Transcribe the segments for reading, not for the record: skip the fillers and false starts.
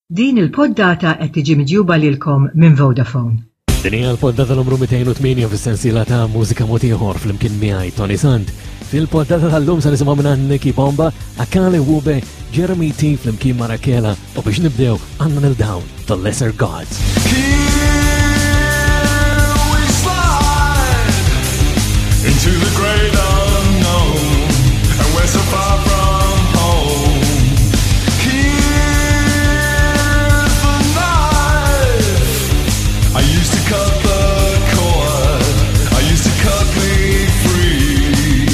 Din il-poddata qed tiġi miġjuba lilkom minn Vodafone. Din hija l-poddata numru 208 fis-sensiela ta' mużika mod ieħor flimkien miegħi Tony Sant. Fil-poddata tal-lum se nisimgħu minn Nicky Bomba, Akale Wube, Jeremy T flimkien ma' Rakela u biex nibdew għandna nil dawn The Lesser Gods. Into the great unknown, and we're so far from home. Here's the knife. I used to cut the cord. I used to cut me free.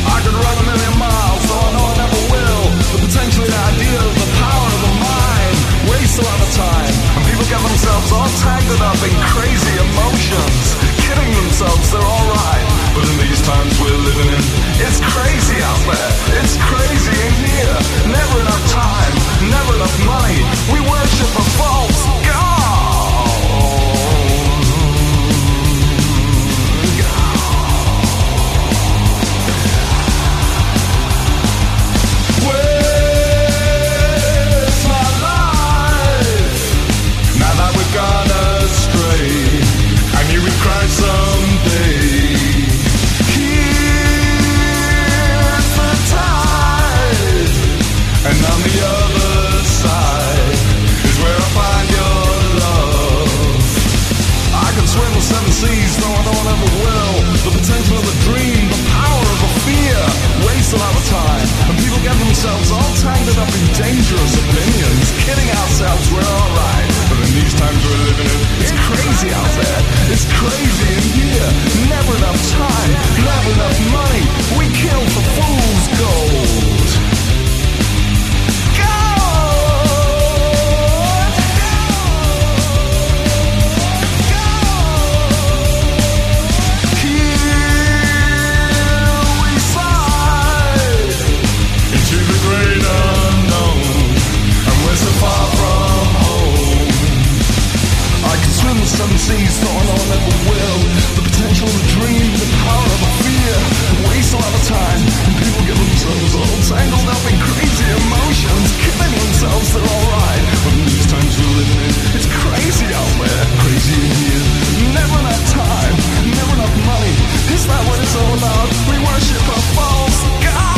I could run a million miles, though I know I never will. The potential in ideas, the power of the mind, waste a lot of time. And people get themselves all tangled up in crazy emotions, kidding themselves they're alright. But in these times we're living in, it's crazy out there, it's crazy in here. Never enough time, never enough money. We worship a false god. Where's my life? Now that we've gone astray, I knew we'd cry someday. Here's the tide, and on the other side is where I find your love. I can swim the seven seas, though I know I never will. The potential of a dream, the power of a fear, waste a lot of time. And people get themselves all tangled up in dangerous opinions, kidding ourselves we're alright. But in these times we're living in, it's crazy out there, it's crazy in here. Never enough time, never enough money. We kill for fool's gold. Gold! Here we slide into the great unknown, and we're so far from home. I can swim the seven seas, though I know I never will. The potential of a dream, the power of a fear, waste a lot of time, and people get themselves all tangled up in crazy emotions, kidding themselves they're alright. But in these times we're living in, it's crazy out there, crazy in here. Never enough time, never enough money. Is that what it's all about? We worship a false god.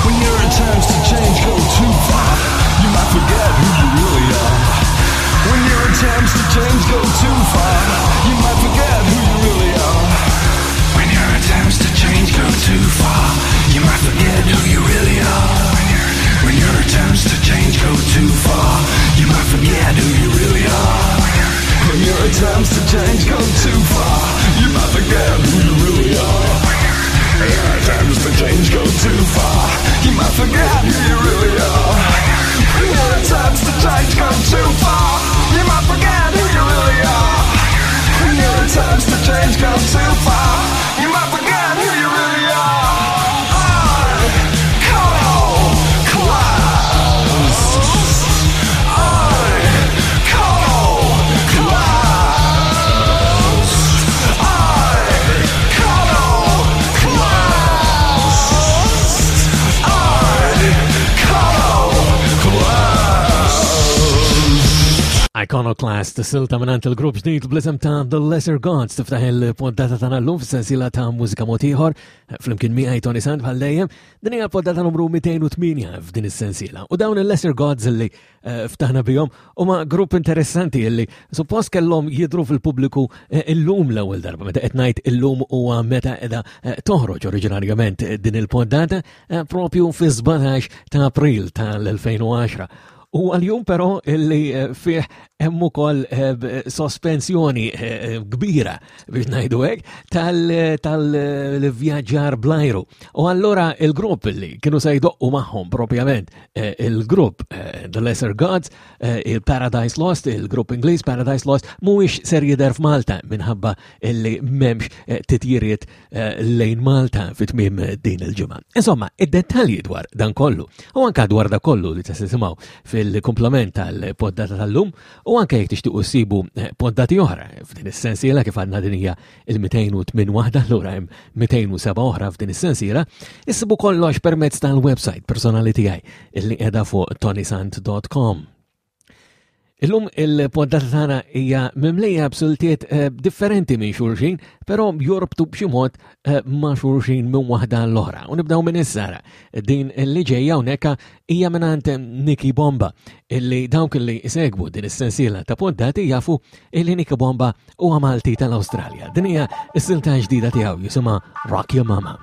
When your attempts to change go too far, you might forget who you really are. When your attempts to change go too far, you might forget who you really are. When your attempts to change go too far, you might forget who you really are. When your attempts to change go too far, you might forget who you really are. When your attempts to change go too far, you might forget who you really are. When your attempts to change go too far, you might forget who you really are. When your attempts to change go too far, you might forget who you really are. When your attempts to change go too far, you might forget who you really are. I call class. I call class. I call class. I call class. Iconoclast, silta minn il-grupp ġdid bl-isem ta' The Lesser Gods tiftaħ il-poddata tagħna llum fis-sensiela ta' mużika mod ieħor flimkien miegħi Tony Sant bħal dejjem. Din hija l-poddata numru 208 f'din is-sensiela. U dawn il-Lesser Gods li eh, ftaħna bihom huma grupp interessanti li suppost kellhom jidru fil-pubbliku eh, illum l-ewwel darba meta qed ngħid illum huwa meta qiegħda eh, toħroġ oriġinarjament din il-poddata propju fi-17 ta' April tal-2010. U għal-jum però illi fih hemm ukoll eh, sospensjoni eh, kbira biex ngħidu hekk tal-vjaġġar blajru. U allura il-grupp li kienu se jdoqqu magħhom propjament eh, il-grupp The Lesser Gods, il-Paradise Lost, il-grupp Ingliż Paradise Lost, mhuwiex ser jidher f'Malta minħabba li m'hemmx titjiriet Eh, lejn Malta fit tmiem din il-ġimgħa. Insomma, id-dettalji dwar dan kollu u anka dwar da kollu li tisimgħu fil-komplement tal-poddata tal-lum u anke jekk tixtiequ ssibu eh, poddati oħra f'din is-sensiela kif għandna din hija il-208 waħda allura hemm 207 oħra f'din is-sensiela, issibu kollox permezz tal-website personali tiegħi illi qiegħda fuq tonisant.com. Illum il-poddata tagħna hija mimlija b'siltiet eh, differenti minn xulxin, però jorbtu b'xi mod eh, ma' xulxin minn waħda l-oħra. U nibdew minn issara. Din li ġejja hawnhekk hija mingħand Nicky Bomba, illi dawk li segwu din is-sensiela ta' poddati jafu illi Nicky Bomba huwa Malti tal-Awstralja. Din hija s-silta ġdida tiegħu jisimha Rock Your Mama.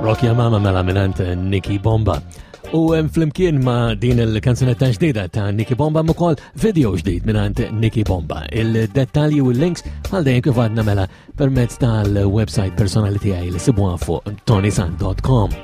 Rock Ya Mama mela minant Nicky Bomba. U flimkien ma' din il-kanzunetta ġdida ta' Nicky Bomba ukoll video ġdid minant Nicky Bomba. Il-dettalji u l-links għal dejjem kif għadna mela permezz tal-website personali tiegħi li sibuha fuq tonisan.com.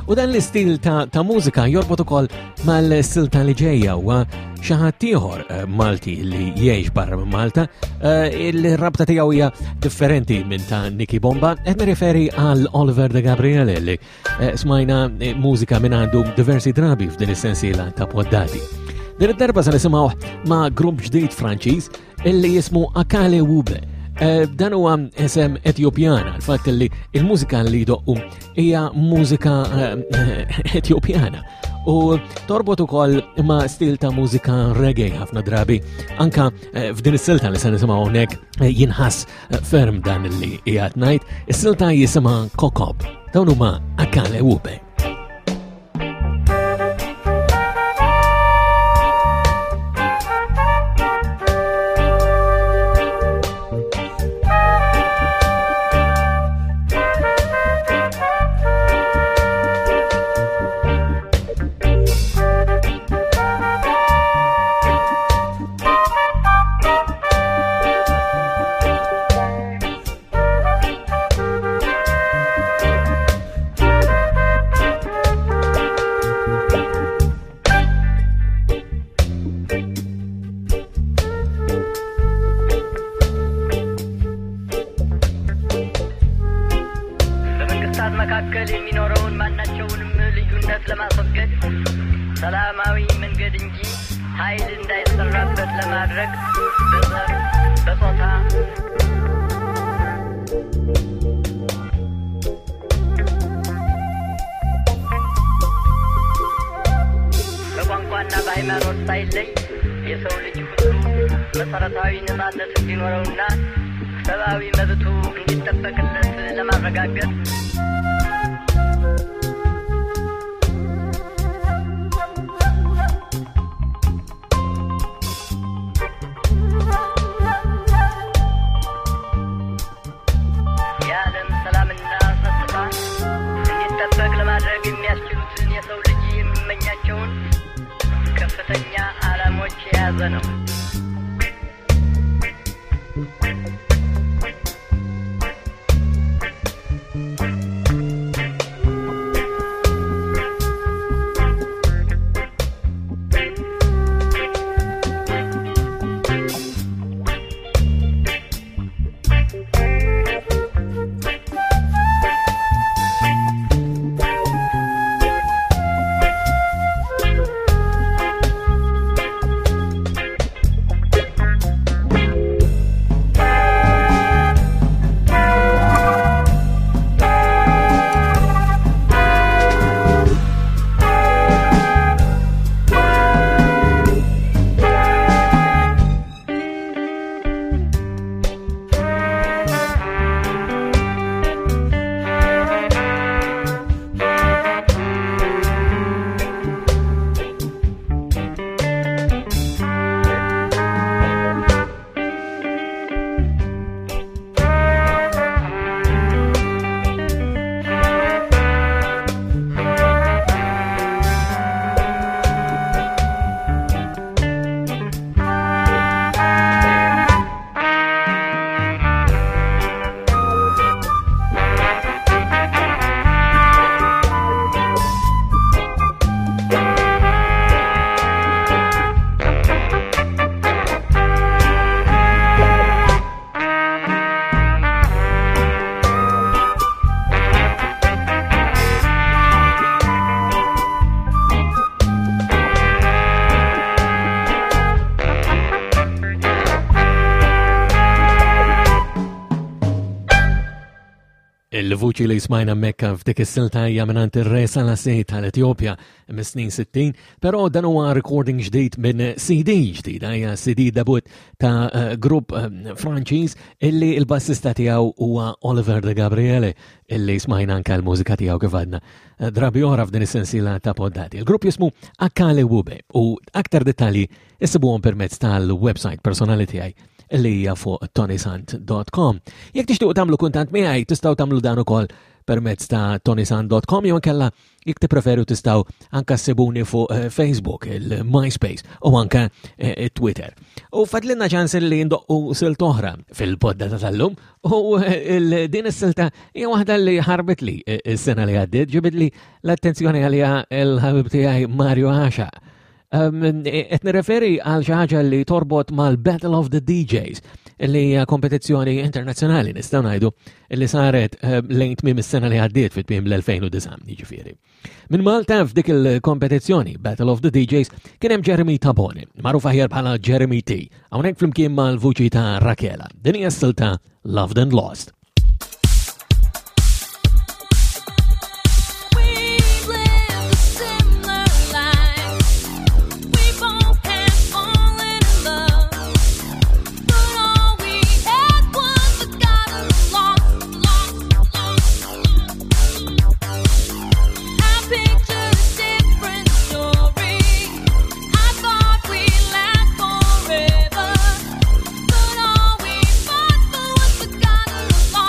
U dan l-istil ta', ta mużika jorbot ukoll mal-silta li ġejja huwa xi ħadd ieħor eh, Malti li jgħix barra minn Malta, eh, il-rabta tiegħu hija differenti minn ta' Nicky Bomba, qed nirriferi għal Oliver de Gabriele li eh, smajna mużika minn għandu diversi drabi f'din is-sensiela ta' poddati. Din id-darba se nisimgħu ma' grupp ġdid Franċiż illi jismu Akale Wube. Eh, dan huwa isem Etjopjana, il-fatt li il-mużika li jdoqqu hija mużika eh, Etjopjana u torbot ukoll ma' stil ta' mużika reggae ħafna drabi. Anka eh, f'din is-silta li se nisimgħu hawnhekk jinħass ferm dan li qiegħed ngħid, is-silta jisimha Kokob. Dawn huma Akale Wube. በመንግስታት መካከል የሚኖረውን ማናቸውንም ልዩነት ለማስወገድ ሰላማዊ መንገድ እንጂ ኃይል እንዳይሰራበት ለማድረግ በዘር፣ በጾታ፣ በቋንቋና በሃይማኖት ሳይለይ የሰው ልጅ ሁሉ መሰረታዊ ነጻነት እንዲኖረውና ሰብአዊ መብቱ እንዲጠበቅለት ለማረጋገጥ የዓለም ሰላምና ጸጥታ እንዲጠበቅ ለማድረግ የሚያስችሉትን የሰው ልጅ የሚመኛቸውን ከፍተኛ ዓላሞች የያዘ ነው። Il-vuċi li smajna mekka f'dik is-silta hija mingħand ir-Re Selassie tal-Etjopja mis-snin 60, però dan huwa recording ġdid minn CD ġdida, hija CD debut ta' eh, grupp eh, Franċiż illi l-bassista tiegħu huwa Oliver de Gabriele illi smajna anke l-mużika tiegħu kif għadna eh, drabi oħra f'din is-sensiela ta' poddati. Il-grupp jismu Akale Wube u aktar dettalji issibuhom permezz tal-website personali tiegħi li hija fuq tonisant.com. Jekk tixtiequ tagħmlu kuntant miegħi tistgħu tagħmlu dan ukoll permezz ta' tonisan.com jew inkella jekk tippreferu tistgħu anka ssibuni fuq eh, Facebook, il-MySpace u anka eh, Twitter. U fadlinna ċans li ndoqqu silt oħra fil-podda ta' tal-lum u eh, din is-silta hija waħda li ħarbit li s-sena li għaddiet ġibidli l-attenzjoni għalija l-ħabib tiegħi Mario Għaxa. Qed nirreferi għal xi ħaġa li torbot mal-Battle of the DJs li hija kompetizzjoni internazzjonali nistgħu ngħidu li saret lejn tmiem is-sena li għaddiet fit tmiem l-2009 jiġifieri. Minn Malta f'dik il-kompetizzjoni Battle of the DJs kien hemm Jeremy Tabone, magħruf aħjar bħala Jeremy T, hawnhekk flimkien mal-vuċi ta' Rakela. Din hija s-silta Loved and Lost. Forever, but all we fought for was forgotten.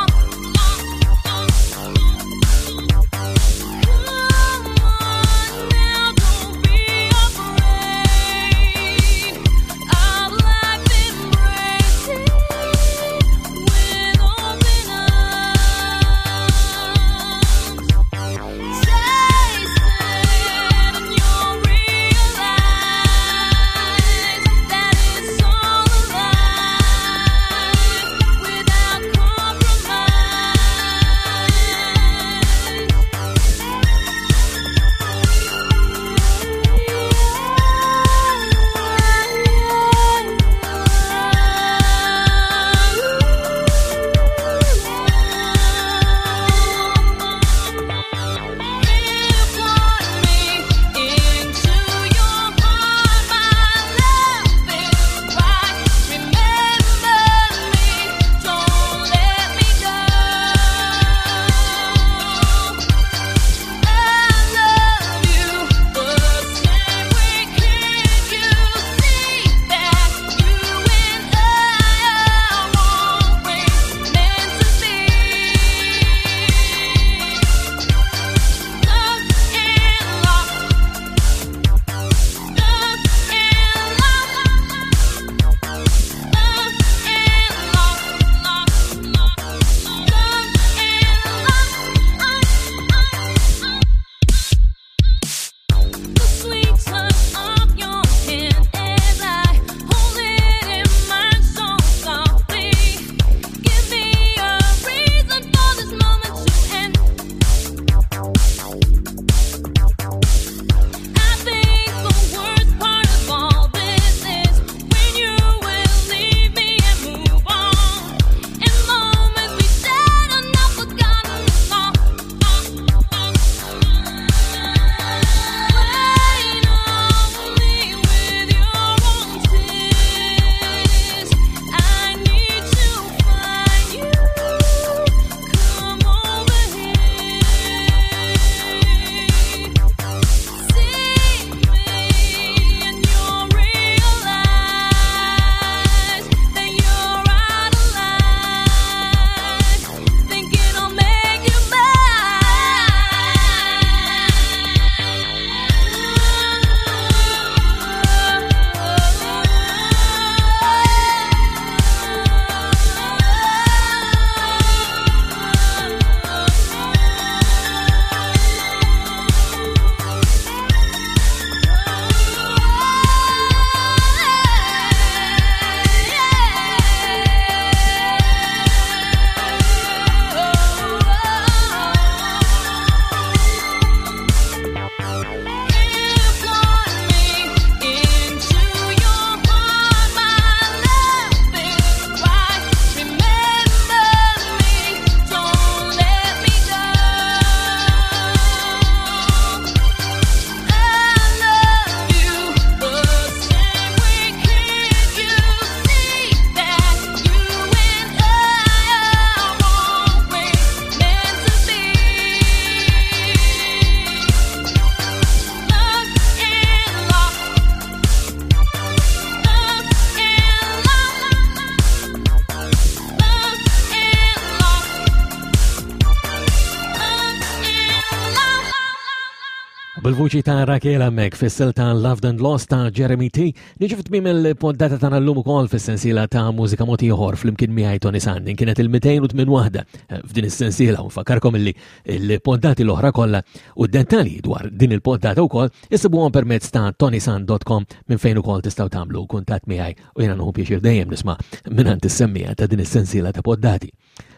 Bil-vuċi ta' Raquel Mek fis-sel ta' Loved and Lost ta' Jeremy T, niġu f'tmiem il-poddata tagħna llum ukoll fis-sensiela ta' mużika mod ieħor flimkien miegħi Tony Sand. Din kienet il-208 waħda eh, f'din is-sensiela u nfakkarkom illi l-poddati l-oħra kollha u d-dettalji dwar din il-poddata wkoll issibuhom permezz ta' tonysand.com minn fejn ukoll tistgħu tagħmlu kuntatt miegħi u jiena nieħu pjaċir dejjem nisma' mingħand is-semmija ta' din is-sensiela ta' poddati.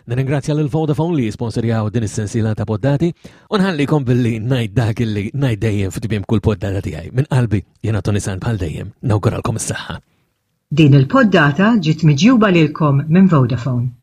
Nirringrazzja lil Vodafone li sponsorjaw din is-sensiela ta' poddati u nħallikom billi ngħid dak illi ngħid dejjem f'tmiem kull poddata tiegħi. Minn qalbi jiena Tony Sant bħal dejjem nawguralkom is-saħħa. Din il-poddata ġiet miġjuba lilkom minn Vodafone.